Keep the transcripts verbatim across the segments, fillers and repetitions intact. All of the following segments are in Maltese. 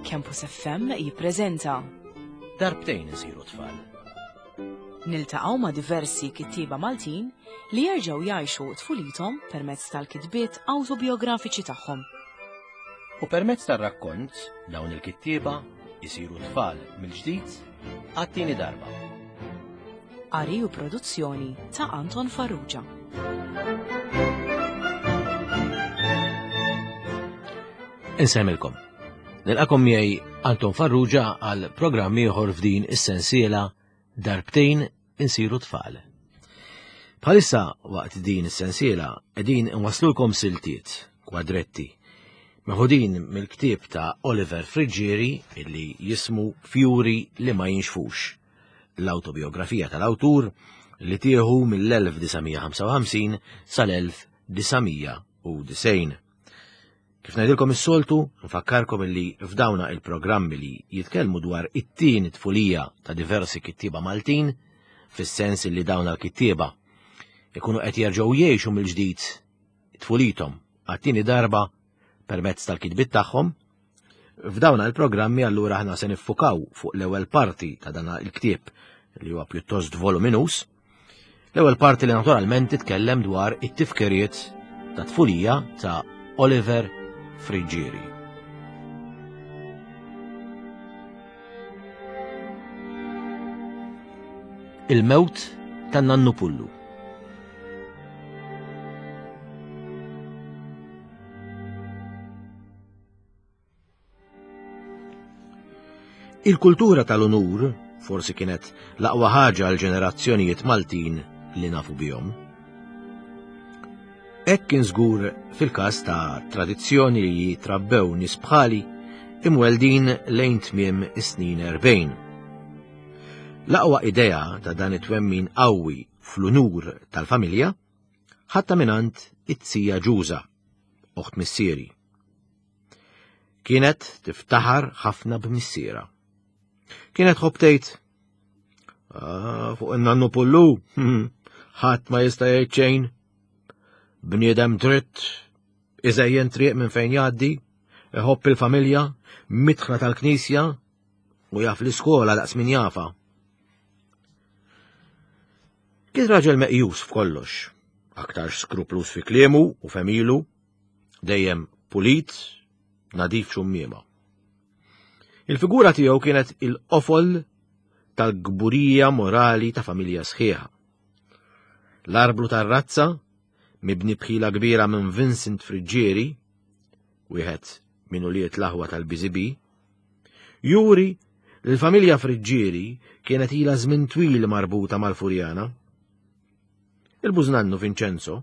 Campus F M jippreżenta Darbtejn isiru tfal. Niltaqgħu ma' diversi kittieba Maltin li jerġgħu jgħixu tfulithom permezz tal-kitbiet awtobiografiċi tagħhom. U permezz tar-rakkont dawn il-kittieba jisiru tfal mill-ġdid għat-tieni darba. Qari u produzzjoni ta' Anton Farrugia. Insemmilkom. Nilqakom miegħi Anton Farrugia għal programm ieħor f'din is-sensiela Darbtejn insiru tfal. Bħalissa waqt din is-sensiela qegħdin inwaslulkom siltiet, kwadretti, meħudin mill-ktieb ta' Oliver Friggieri illi jismu Fjuri li ma jinxfux, l-autobiografija tal-awtur li tieħu mill-elf disa' mija ħamsa u ħamsin sal-elf disa' mija u disgħin. Kif ngħidilkom is-soltu, nfakkarkom illi f'dawna il-programmi li jitkellmu dwar it-tieni tfulija ta' diversi kittieba Maltin, fis-sens li dawna l-kittieba ikunu qed jerġgħu jgħixu mill-ġdid tfulithom għat-tieni darba permezz tal-kitbiet tagħhom. F'dawna il-programmi allura aħna se niffukaw fuq l-ewwel parti ta' dan il-ktieb li huwa pjuttost voluminus, l-ewwel parti li naturalment titkellem dwar it-tifkiriet ta' tfulija ta' Oliver Friggieri. Il-mewt ta' Nannu Pullu. Il-kultura tal-unur forsi kienet l-aqwa ħaġa għal ġenerazzjonijiet Maltin li nafu bihom. Hekk kien żgur fil-każ ta' tradizzjoni li jitrabbew nies bħali imweldin lejn tmiem is-snin erbgħin. L-aqwa idea ta' dan it-twemmin qawwi fl-unur tal-familja ħatta mingħand it-tija Ġuża, oħt missieri. Kienet tiftaħar ħafna b'missiera. Kienet tħobb tgħid, Ah, fuq in-nannu Pullu, ħadd ma jista' jgħid xejn. Bniedem dritt, iżejjen triq minn fejn jgħaddi, iħobb il-familja, mitħna tal-knisja u jaf l-iskola daqs min jafa. Kien raġel meqjus f'kollox, aktar skruplus fi kliemu u femilu, dejjem pulit, nadif xummiema. Il-figura tiegħu kienet il-qofol tal-gburija morali ta' familja sħiħa. L-arblu tar-razza, mibni bħila kbira minn Vincent Friggieri, wieħed minn ulied l-aħwa tal-B Z B, juri li l-familja Friggieri kienet ilha żmien twil marbuta mal-Furjana. Il-bużnannu Vincenzo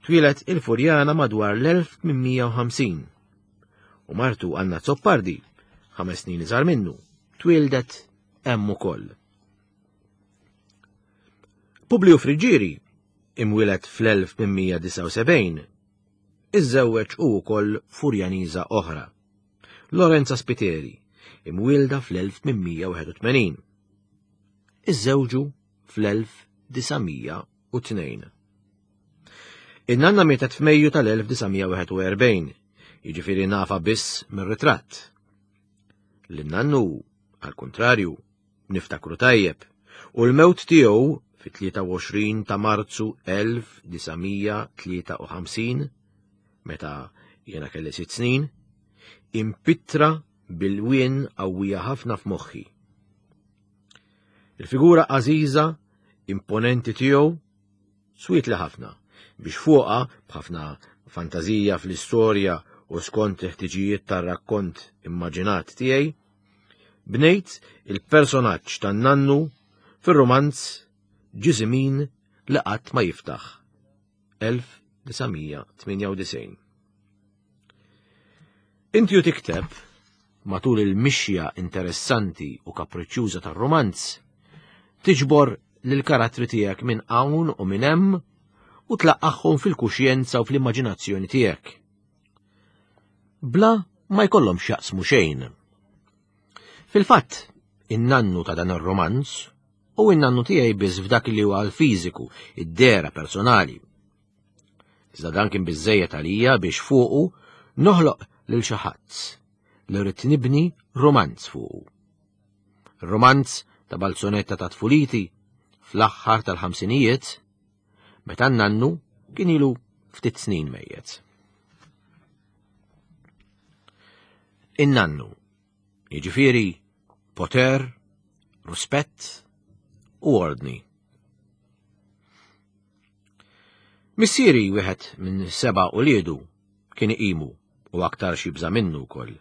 twieled il-Furjana madwar l-elf tmien mija u ħamsin u martu Anna Zoppardi, ħames snin iżgħar minnu, twieldet hemm ukoll. Publiju Friggieri, imwieled fl-elf tmien mija disgħa u sebgħin, iżżewweġ hu wkoll Furjaniża oħra, Lorenza Spiteri, imwielda fl-elf tmien mija wieħed u tmenin. Iżżewġu fl-elf disa' mija u tnejn. In-nanna mietet f'Mejju tal-elf disa' mija wieħed u erbgħin, jiġifieri nafa biss mir-ritratt. Lin-nannu, għal-kuntrarju, niftakru tajjeb, u l-mewt tiegħu fit-tlieta u għoxrin ta' Marzu elf disa' mija tlieta u ħamsin, meta jiena kelli sitt snin, impittra bil-wien qawwija ħafna f'moħħi. Il-figura għażiża, imponenti tiegħu, swiet li ħafna, biex fuqha b'ħafna fantażija fl-istorja u skont il-ħtiġijiet tar-rakkont immaġinat tiegħi, bnejt il-personaġġ tan-nannu fir-romanz Ġiżimin li qatt ma jiftaħ, elf disa' mija tmienja u disgħin. Inti u tikteb matul il-mixja interessanti u kapriċċjuża tar-romanz, tiġbor lill-karattri tiegħek minn hawn u minn hemm u tlaqqagħhom fil-kuxjenza u fl-immaġinazzjoni tiegħek. Bla ma jkollhom x'jaqsmu xejn. Fil-fatt, in-nannu ta' dan ir-romanz u in-nannu tiegħi biss f'dak li huwa l-fiżiku, id-dehra personali. Iżda dan kien biżżejjed għalija biex fuqu noħloq lil xi ħadd li rrid nibni romanz fuqu. Romanz ta' balzonetta ta' tfuliti fl-aħħar tal-ħamsinijiet, meta n-nannu kien ilu ftit snin mejjet. In-nannu, jiġifieri poter, rispett u ordni. Missieri wieħed minn seba' uliedu kien iqimu u aktar xi minnu wkoll.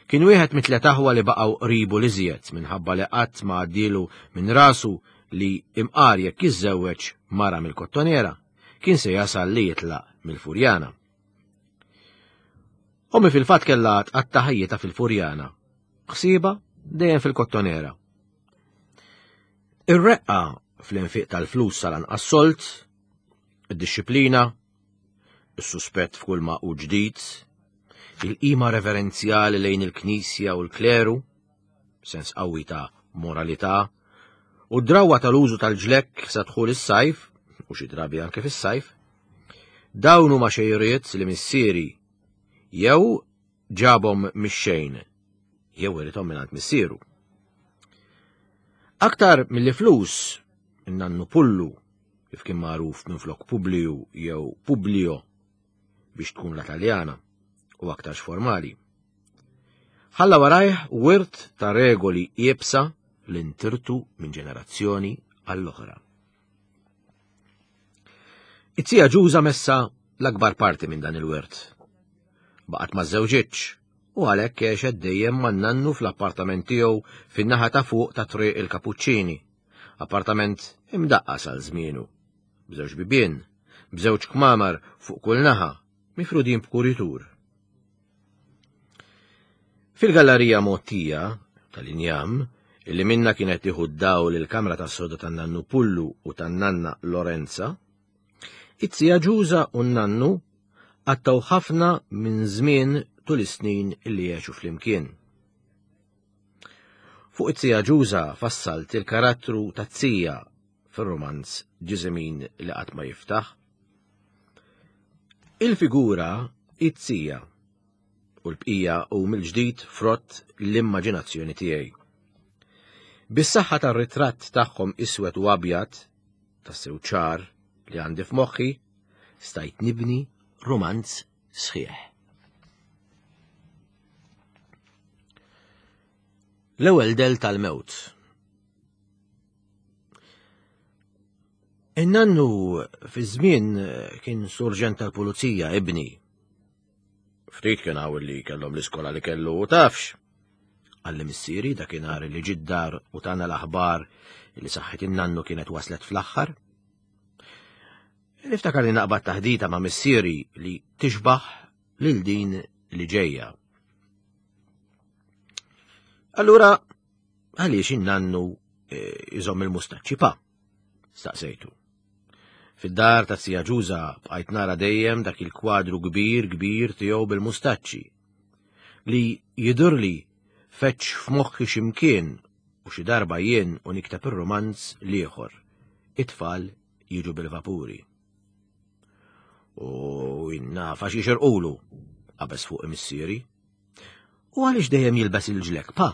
Kien wieħed mit-tliet aħwa li baqgħu qribu l-iżjed minħabba li qatt ma għaddielu minn rasu li imqar jekk jiżżewweġ mara mill-Kottonera kien se jasal li jitlaq mill-Furjana. Ommi fil-fatt kellha tqatta' ħajjitha fil-Furjana, ħsiebha dejjem fil-Kottonera. Ir-reqqa fl-infiq tal-flus sal-anqas solt, id-dixxiplina, is-suspett f'kull ma hu ġdid, il-qima reverenzjali lejn il-Knisja u l-kleru, sens qawwi ta' moralità, u d-drawwa tal-użu tal-ġlekk sa dħul is-sajf, u xi drabi anke fis-sajf, dawn huma xejriet li missieri jew ġabhom mix-xejn, jew irithom mingħand missieru. Aktar milli flus, in-nannu Pullu, kif kien magħruf minflok Publiju jew Publio biex tkun la Taljana u aktarx formali. Ħalla warajh wirt ta' regoli iebsa li ntirtu minn ġenerazzjoni għall-oħra. It-tija Ġuża messa l-akbar parti minn dan il-wirt. Baqgħet ma żewġitx u għalhekk għexet dejjem man-nannu fl-appartament tiegħu fin-naħa ta' fuq ta' Triq il-Kapuċċini, appartament imdaqqas għal żmienu, b'żewġ bibien, b'żewġ kmamar fuq kull naħa, mifrudin b'kuritur. Fil-gallerija Mottija tal-injam, illi minna kienet tieħu d-dawl il-kamra tas-soda tan-nannu Pullu u tan-nanna Lorenza, it-tija Ġuża u n-nannu qattgħu ħafna minn żmien tul is-snin illi għexu flimkien. Fuq it-tija Ġuża fassalt il-karattru tat-tija fir-romanz Ġiżimin li qatt ma jiftaħ. Il-figura it-tija u l-bqija u mill-ġdid frott l-immaġinazzjoni tiegħi. Bis-saħħa tar-ritratt tagħhom iswed u abjad, tassew ċar li għandi f'moħħi, stajt nibni romanz sħiħ. L-ewwel del tal-mewt. In-nannu fi żmien kien surġent tal-pulizija ibni. Ftit kien hawn li kellhom l-iskola li kellu u tafx. Qalli missieri dakinhar li ġie d-dar u tana l-aħbar li saħħet in-nannu kienet waslet fl-aħħar. Niftakar li naqbad taħdita ma' missieri li tixbaħ lil din li ġejja. Allura, għaliex in-nannu iżomm il-mustaċċi pa? Staqsejtu. Fid-dar ta' Sija Ġuża bqajt nara dejjem dak il-kwadru kbir kbir tiegħu bil-mustaċċi li jidhirli feċ f'moħħi x'imkien u xi darba jien u nikteb ir-romanz l-ieħor. It-tfal jiġu bil-vapuri. U nafa xi xerqulu, qabeż fuq missieri. U għaliex dejjem jilbes il-ġlek pa?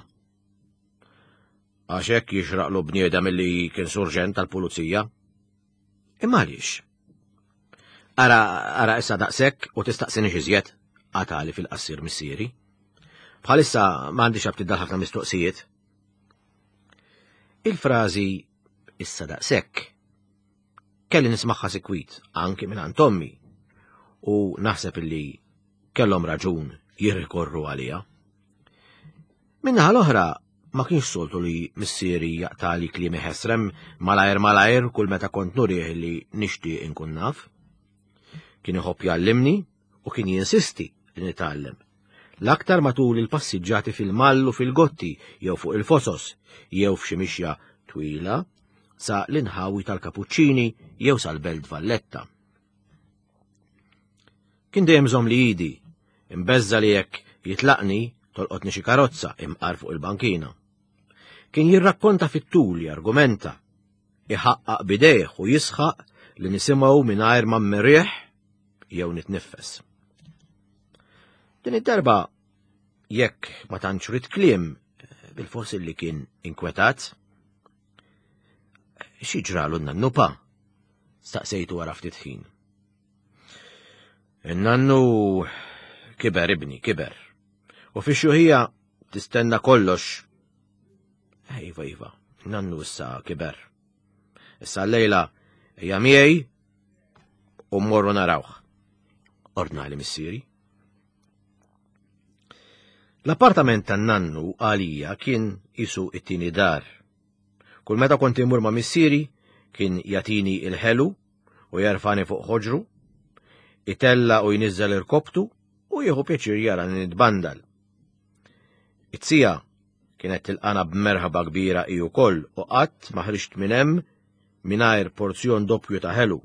Għax hekk jixraqlu bniedem li kien surġent tal-pulizija. Imma għaliex? Ara, ara issa daqshekk u tistaqsini iżjed, qatali fil-qassir missieri. Bħalissa m'għandix aptit ħafna mistoqsijiet. Il-frażi issa daqshekk kelli nismagħha sikwit anki minn għand ommi u naħseb illi kellhom raġun jirrikorru għalija. Min-naħa l-oħra ma kienx soltu li missieri jaqtali kliemi ħesrem malajr malajr kull meta kont nurih li nixtieq inkun naf. Kien iħobb jgħallimni u kien jinsisti li nitgħallem. L-aktar matul il-passiġġati fil-mallu fil-gotti jew fuq il-fosos jew f'xi mixja twila sa l-inħawi tal-Kapuċċini jew sal-Belt Valletta. Kien dejjem żomm li idi, imbeżza li jekk jitlaqni tolqotni xi karozza imqar fuq il-bankina. Kien jirrakkonta fit-tul, jargumenta, iħaqqaq bidejh u jisħaq li nisimgħu mingħajr ma mmirrieħ jew nitniffes. Din id-darba Jekk ma tantx rid kliem, bil-fors li kien inkwetat. Xi ġralu n-nannu pa? Staqsejtu wara ftit ħin. In-nannu kiber ibni, kiber. U fix-xjuħija tistenna kollox. Iva, iva, nannu issa kiber. Issa l-lejla hija miegħi u mmorru narawh. Ordnali missieri. L-appartament tan-nannu għalija kien isu it-tieni dar. Kull meta kont imur ma' missieri kien jagħtini il-ħelu u jerfani fuq ħoġru, itella u jniżżel irkoptu u jieħu pjaċir jara nitbandal. It-sija kienet tilqana b'merħba kbira hi wkoll u qatt ma ħriġt minn hemm mingħajr porzjon doppju ta' ħelu.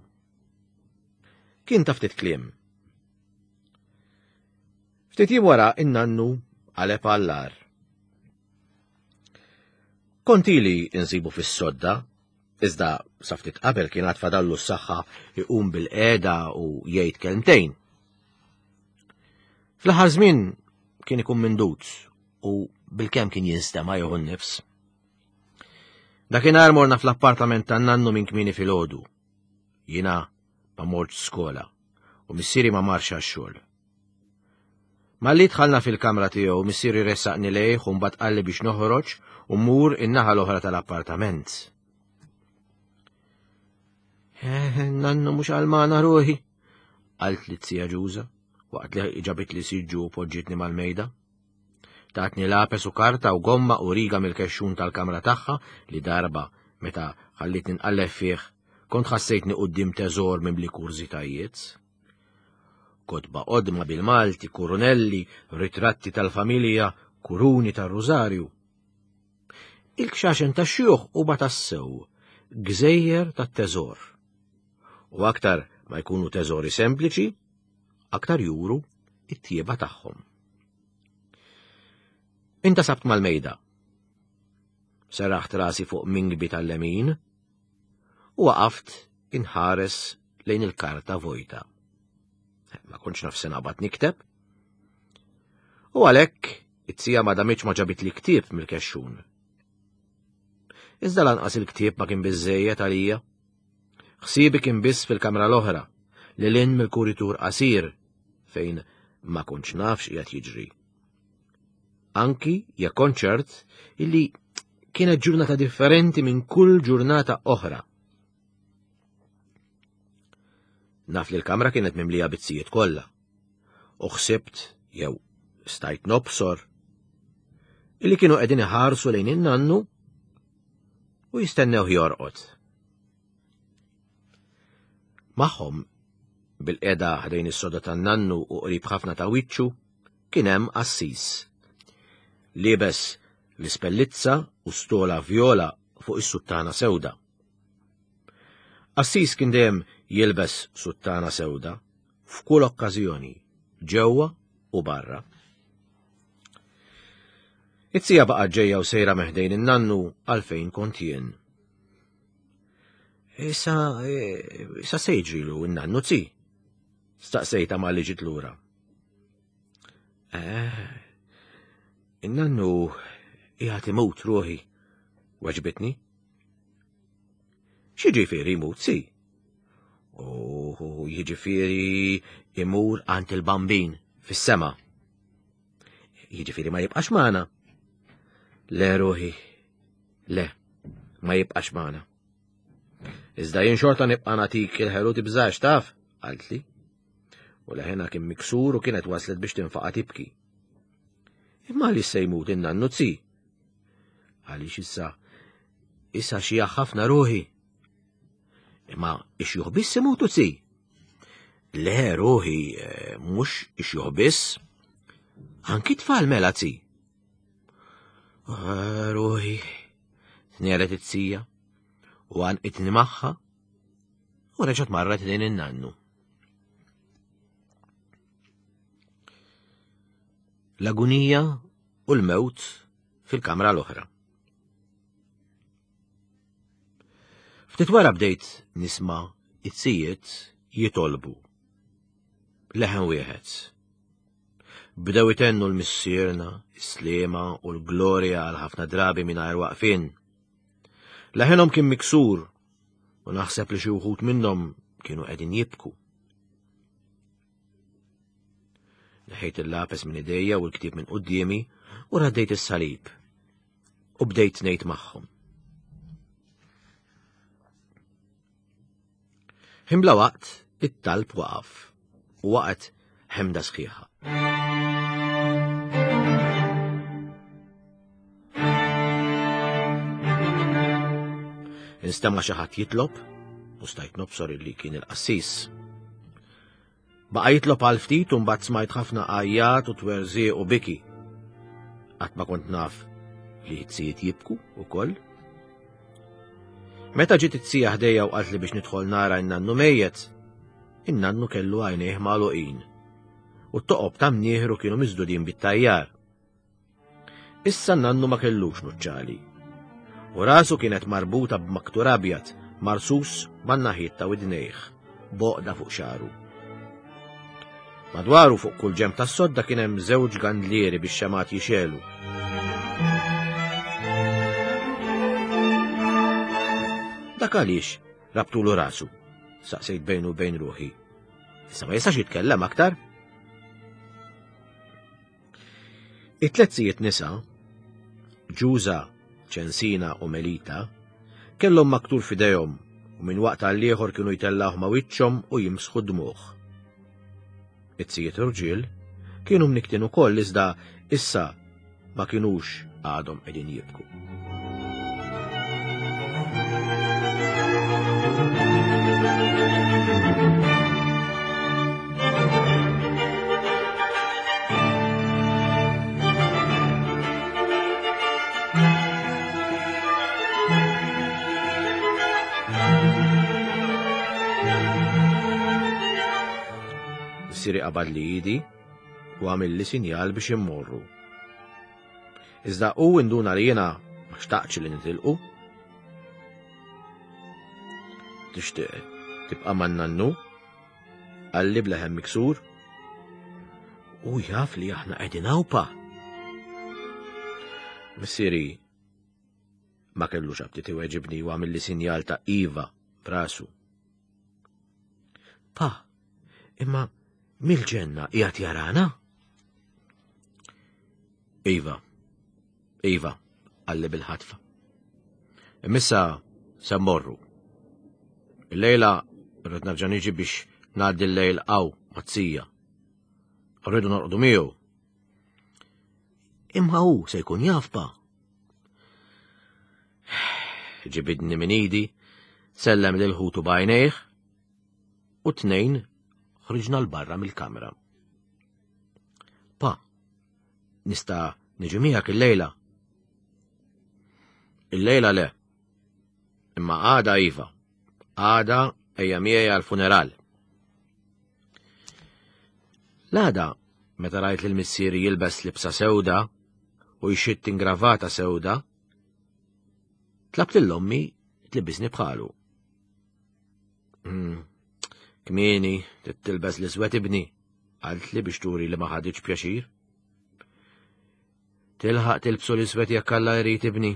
Kien ta' ftit kliem. Ftit jiem wara in-nannu qaleb għall-agħar. Kont ili insibu fis-sodda, iżda sa ftit qabel kien għad fadallu s-saħħa iqum bil-qiegħda u jgħid kelmtejn. Fl-aħħar żmien kien ikun mindut u bilkemm kien jinstema' jieħu n-nifs. Dakinhar morna fl-appartament tan-nannu minn kmieni filgħodu. Jiena ma mortx skola u missieri ma marx għax-xogħol. Malli dħalna fil-kamra tiegħu, missieri ressaqni lejh u mbagħad qalli biex noħroġ u mmur in-naħa l-oħra tal-appartament. Eh, nannu mhux għalmana ruħi, qaltli z-zija Ġuża, waqt li ġabit li siġġu u poġġitni mal-mejda. Tatni lapes u karta u gomma u riga mill-kexxun tal-kamra tagħha li darba meta ħallitni nqalleb fih kont ħassejtni quddiem teżor mimli kurżitajiet. Kotba qodma bil-Malti, kurunelli, ritratti tal-familja, kuruni tar-rużarju. Il-kxaxen tax-xjuħ huma tassew gżejjer tat-teżor. U aktar ma jkunu teżori sempliċi, aktar juru it-tjieba tagħhom. Intasabt mal-mejda. Seraħt rasi fuq mingbi tal-lemin u waqaft inħares lejn il-karta vojta. Ma kontx naf se naqbad nikteb. U għalhekk it-sija ma damitx ma ġabit li ktieb mill-kexxun. Iżda lanqas il-ktieb ma kien biżejjed għalija. Ħsiebi kien biss fil-kamra l-oħra, li lin mill-kuritur qasir fejn ma kontx naf x'qiegħed jiġri. Anki jekk kont ċert illi kienet ġurnata differenti minn kull ġurnata oħra. Naf li l-kamra kienet mimlija bizzijiet kollha. U ħsibt jew stajt nobsor illi kienu qegħdin iħarsu lejn in-nannu u jistennew jorqod. Magħhom bil-qeda ħdejn is-soda tan-nannu u qrib ħafna ta' wiċċu kien hemm qassis. Liebes l-ispellizza u stola vjola fuq is-suttana sewda. Qassis kien dejjem jilbes suttana sewda f'kull okkażjoni, ġewwa u barra. It-sija baqgħet ġejja u sejra meħdejn in-nannu għalfejn kont jien. Issa, issa se jiġrilu n-nannu zi? Staqsejta ma li ġiet lura. Eh, in-nannu qiegħed imut ruħi, weġbitni. X'jiġifieri jmut si? U jiġifieri imur għand il-bambin fis-sema. Jiġifieri ma jibqax magħna. Le ruħi, le, ma jibqax magħna. Iżda jien xorta nibqa' nagħtik il-ħelu tibżax taf, qaltli. U leħena kien miksur u kienet waslet biex tinfaqa' tibki. Imma għaliex se jmut in-nannu zi? Għaliex issa issa xi ħafna ruħi. Imma ix-xjuħ biss imutu zi? Le ruħi, mhux ix-xjuħ biss. Anki tfal mela zi. Ruħi, tnieret it-sija u għanqitni magħha u reġgħet marret lejn in-nannu. L-agunija u l-mewt fil-kamra l-oħra. Ftit wara bdejt nisma' it-sijiet jitolbu. Leħen wieħed. Bdew itennu l-Missierna, is-Sliema u l-Glorja għal ħafna drabi mingħajr waqfien. Leħenhom kien miksur u naħseb li xi wħud minnhom kienu qegħdin jibku. Neħejt il-lapes minn idejja u l-ktieb minn quddiemi u raddejt is-salib u bdejt ngħid magħhom. Ħin bla waqt it-talb waqaf u waqgħet ħemda sħiħa. Instema' xi ħadd jitlob u stajt nobsor li kien il-qassis. Baqa' jitlob għal ftit u mbagħad smajt ħafna għajjat u twerżieq u biki. Qatt ma kont naf li t-sijiet jibku ukoll. Meta ġiet it-sija ħdejja u qaltli biex nidħol nara n-nannu mejjet, in-nannu kellu għajnejh magħluqin u t-toqob ta' mnieħru kienu miżdudin bit-tajjar. Issa n-nannu ma kellux nuċċali u rasu kienet marbuta b'maktur abjad marsus man-naħiet ta' widnejh, boqda fuq xagħru. Madwaru fuq kull ġenb tas-sodda kien hemm żewġ gandlieri biex xemat jixelu. Dak għaliex rabtulu rasu, saqsejt bejnu bejn ruħi. Issa ma jistax jitkellem aktar. It-tliet sijiet nisa, Ġuża, Ċensina u Melita, kellhom maktur f'idejhom u minn waqt għal ieħor kienu jtellgħuh ma' wiċċhom u jimsħu d-dmugħ. It-sijiet irġiel kienu mniktin ukoll iżda issa ma kinux għadhom qegħdin jibku. Missieri qabad li idi u għamilli sinjal biex immorru. Iżda hu induna li jiena ma xtaqtx li nitilqu. Tixtieq tibqa' man-nannu? Qalli b'leħen miksur. U jaf li aħna qegħdin hawn pa. Missieri ma kellux aptit iweġibni u għamilli sinjal ta' iva b'rasu. Pa, imma mill-ġenna qiegħed jarana? Iva, iva, qalli bil-ħatfa. Imissa se mmorru. Il-lejla rrid nerġa' niġi biex ngħaddi l-lejl hawn mat-tija. Rridu norqdu miegħu. Imma hu se jkun jaf pa. Ġibidni minn idi, sellem lil ħutu b'għajnejh u tnejn ħriġna l-barra mill-kamra. Pa, nista' niġi miegħek il-lejla? Il-lejla le. Imma għada iva. Għada ejja miegħi għall-funeral. L-għada, meta rajt lil missieri jilbes libsa sewda u jxitt ingravata sewda, tlabt lil ommi tlibbisni bħalu. Mm. Kmieni, tilbes l-iswed ibni, qaltli biex turi li ma ħaditx pjaċir. Tilħaq tilbsu l-iswed jekk Alla jrid ibni.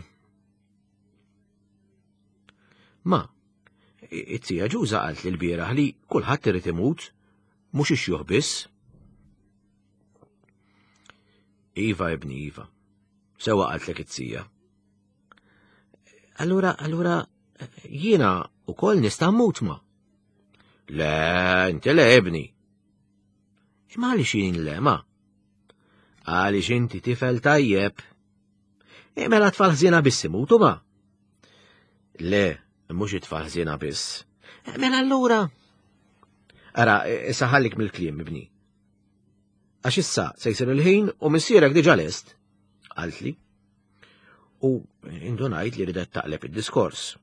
Ma, it-tija Ġuża qalt li l-bieraħ li kulħadd irid imut, mhux ix-xjuħ biss. Iva ibni, iva. Sewa qaltlek it-tija. Allura, allura, jiena ukoll nista' mmut ma. Le, inti le ibni. Imma għaliex jien le, ma? Għaliex inti tifel tajjeb. Mela tfal ħżiena biss imutu ma? Le, mhux it-tfal ħżiena biss. Mela allura. Ara, issa ħallik mill-kliem, ibni. Għax issa se jsir il-ħin u missierek diġà lest, qaltli. U indunajt li ridet taqleb id-diskors.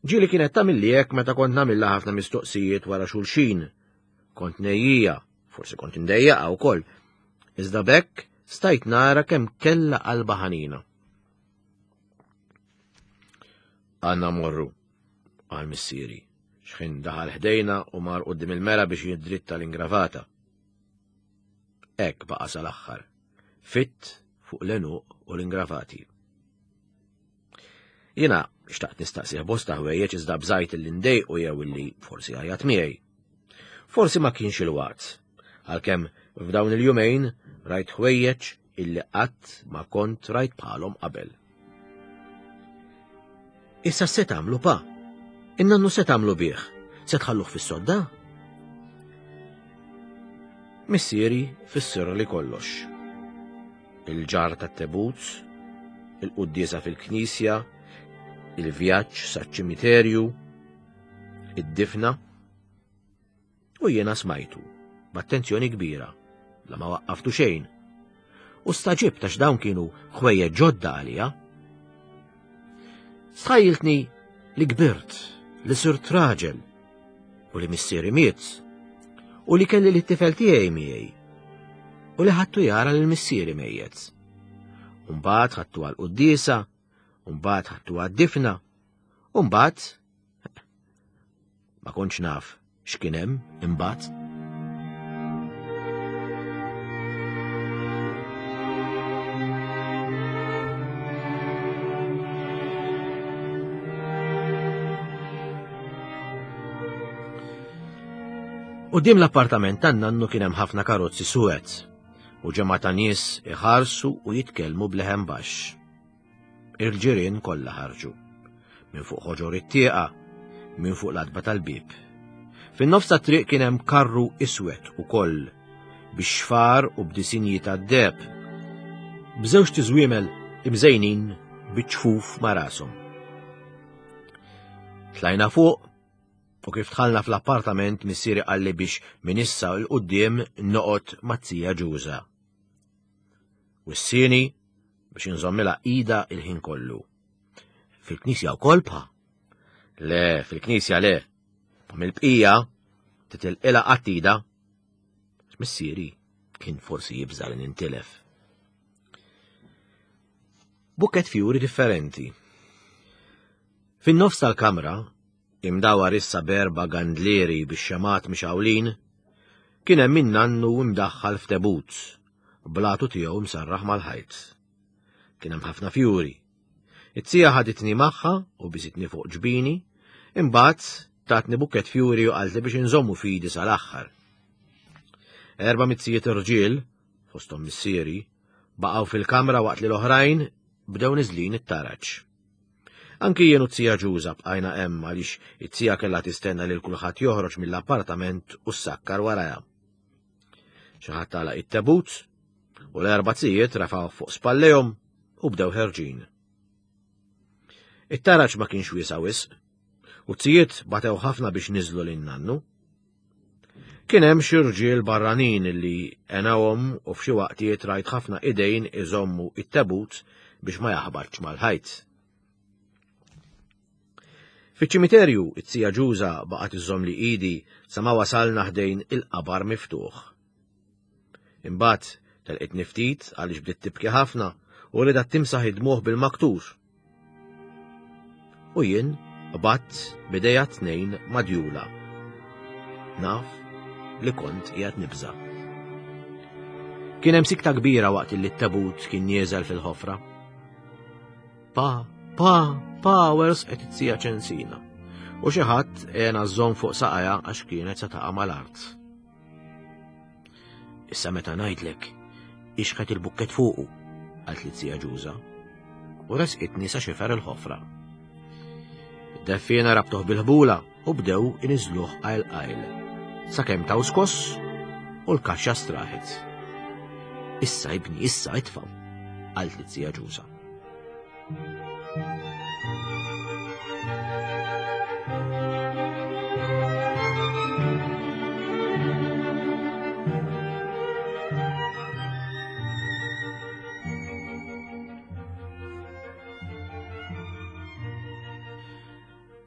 Ġieli kienet tagħmilli hekk meta kont nagħmilha ħafna mistoqsijiet wara xulxin. Kont nejjija, forsi kont indejjaqha wkoll. Iżda b'hekk stajt nara kemm kellha qalba ħanina. Għandna morru, qal missieri, x'ħin daħal ħdejna u mar quddiem il-mera biex jiddritta l-ingravata. Hekk baqa' sal-aħħar, fitt fuq l-għenuq u l-ingravati. Jiena xtaqt nistaqsih bosta ħwejjeġ iżda bżajt illi ndejqu jew illi forsi għajat miegħi. Forsi ma kienx il-waqt, għalkemm f'dawn il-jumejn rajt ħwejjeġ illi qatt ma kont rajt bħalhom qabel. Issa se tagħmlu pa? In-nannu se tagħmlu bih? Se tħalluh fis-sodda? Missieri fissirli kollox. Il-ġarr tat-tebut, il-quddiesa fil-knisja, il-vjaġġ saċ-ċimiterju, id-difna. U jiena smajtu, b'attenzjoni kbira, la ma waqqaftu xejn. U staġibt għax dawn kienu ħwejjeġ ġodda għalija. Stħajjiltni li kbirt, li sirt raġel, u li missieri miet, u li kelli lit-tifel tiegħi miegħi, u li ħadtu jara lil missieri mejjet. U mbagħad ħadtu għall-quddiesa, u mbagħad ħadtu għad-difna, u mbagħad ma kontx naf x'kien hemm imbagħad. Quddiem l-appartament tan-nannu kien hemm ħafna karozzi suwed u ġemgħa ta' nies iħarsu u jitkellmu b'leħen baxx. Il-ġirien kollha ħarġu, minn fuq ħoġor it-tieqa, minn fuq l-adba tal-bieb. Fin-nofs tat-triq kien hemm karru iswed ukoll, bix-xfar u b'disinji tad-deheb, b'żewġ tiżwiemel imżejnin biċ-ċfuf ma' rashom. Tlajna fuq u kif dħalna fl-appartament missieri qalli biex minn issa 'l quddiem noqgħod mat-tija Ġuża. Wissieni biex inżommilha ida il-ħin kollu. Fil-knisja wkoll pa? Le, fil-knisja le. Ma mill-bqija titilqilha qatt ida. Missieri kien forsi jibża' li nintilef. Bukket fjuri differenti. Fin-nofs tal-kamra, imdawar issa b'erba' gandlieri bix-xemat mixgħulin, kien hemm min-nannu imdaħħal f'tebut, blatu tiegħu msarraħ mal-ħajt. Kien hemm ħafna fjuri. It-tija ħaditni magħha u biżitni fuq ġbini, imbagħad tatni bukket fjuri u qaltli biex inżommu fidi sal-aħħar. Erba' mizzijiet irġiel, fosthom missieri, baqgħu fil-kamra waqt li l-oħrajn bdew niżlin it-taraġ. Anki jien u t-tija Ġuża bqajna hemm għaliex it-tija kellha tistenna lil kulħadd joħroġ mill-appartament u ssakkar warajha. Xi ħadd tagħlaq it-tebut u l-erba' tzijiet rafgħu fuq spallejhom u bdew ħerġin. It-taraġ ma kienx wiesa' wisq u t-tzijiet batew ħafna biex niżlu lin nannu. Kien hemm xi rġiel barranin li għenawhom u f'xi waqtiet rajt ħafna idejn iżommu it-tebut biex ma jaħbatx mal-ħajt. Fiċ-ċimiterju it-tija Ġuża baqgħet iżomm li idi sa ma wasalna ħdejn il-qabar miftuħ. Imbagħad telqitni ftit għaliex bdiet tibki ħafna u ridat timsaħ id-dmugħ bil-maktur. U jien qbadt b'idejja tnejn madjula. Naf li kont qiegħed nibża'. Kien hemm sikta kbira waqt li t-tebut kien nieżel fil-ħofra. Pa, pa, pa, wersqet it-tija Ċensina. U xi ħadd għena żżomm fuq saqajha għax kienet se taqa' mal-art. Issa meta ngħidlek, ixħet il-bukket fuqu, qalt li t-tija Ġuża, u resqitni sa xifer il-ħofra. Id-deffiena rabtuh bil-ħbula u bdew iniżluh qajl qajl, sakemm taw skoss u l-kaxxa straħet. Issa ibni, issa itfgħu, qalt li t-tija Ġuża.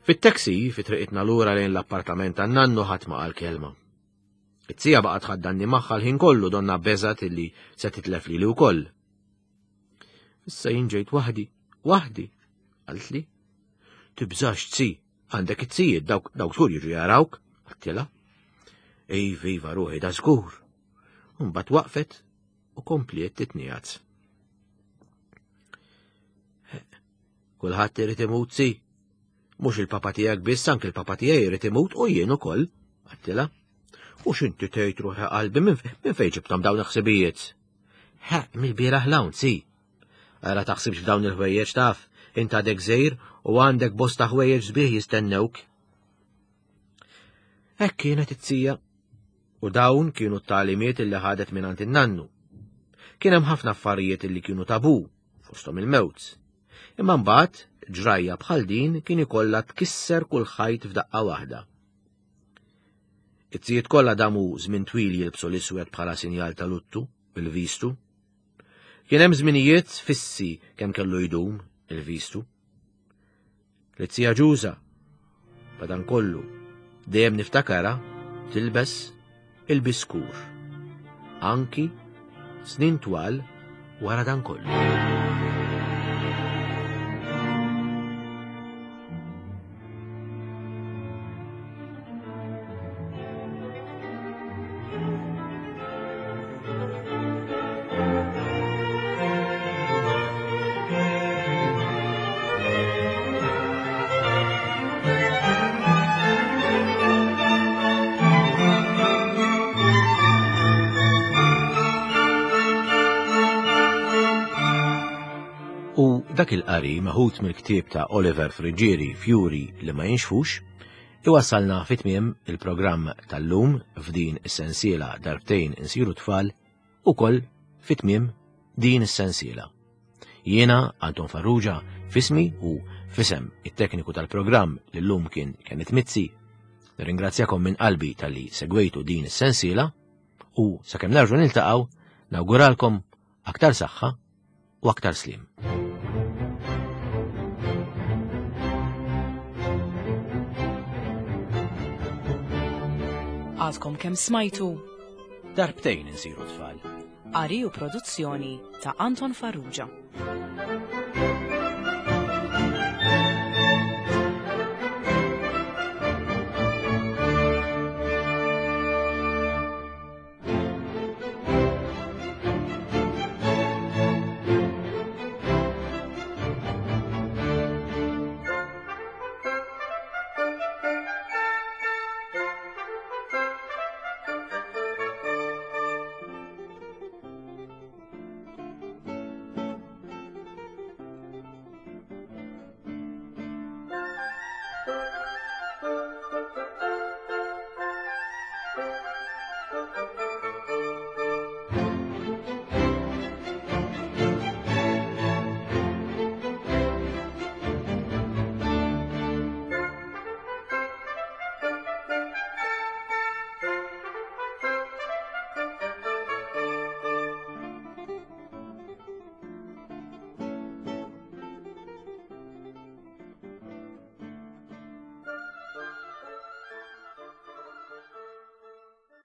Fit-taxi, fi triqitna lura lejn l-appartament tan-nannu ħadd ma qal kelma. It-tija baqgħet tħaddanni magħha l-ħin kollu donna beżgħet illi se titlef lili wkoll. Issa jien ġejt waħdi, waħdi, qaltli. Tibżax tzi, għandek it-tzijiet dawk dawk żgur jiġu jarawk, qaltilha. Iva, iva, ruħi, da żgur. Mbagħad waqfet u kompliet titniegħed. Kulħadd irid imut si. Mhux il-papa tiegħek biss, anke il-papa tiegħi jrid imut u jien ukoll, għattilha. U x'inti tgħid ruħi qalbi minn fejn ġibthom dawn il-ħsibijiet? Ħa, mill-bieraħ 'l hawn, si. Ara taħsibx f'dawn il-ħwejjeġ taf, int għadek żgħir u għandek bosta ħwejjeġ sbieħ jistennewk. Hekk kienet it-tija. U dawn kienu t-tagħlimiet illi ħadet mingħand in-nannu. Kien hemm ħafna affarijiet illi kienu tabu, fosthom il-mewt. Imma mbagħad ġrajja bħal din kien ikollha tkisser kull ħajt f'daqqa waħda. It-tijiet kollha damu żmien twil jilbsu l-iswed bħala sinjal ta' luttu bil-vistu. Kien hemm żminijiet fissi kemm kellu jdum il-vistu. L-tija Ġuża, madankollu, dejjem niftakara tilbes il-biskur, anki snin twal wara dan kollu. U dak il-qari meħud mill-ktieb ta' Oliver Friggieri Fjuri li ma jinxfux, iwassalna fi tmiem il-programm tal-lum f'din is-sensiela darbtejn insiru tfal ukoll fi tmiem din is-sensiela. Jiena Anton Farrugia f'ismi u f'isem it-tekniku tal-programm li llum kien Kenneth Mizzi, nirringrazzjakom minn qalbi talli segwejtu din is-sensiela u sakemm nerġgħu niltaqgħu nawguralkom aktar saħħa u aktar slim. Għadkom kemm smajtu Darbtejn insiru tfal. Qari u produzzjoni ta' Anton Farrugia.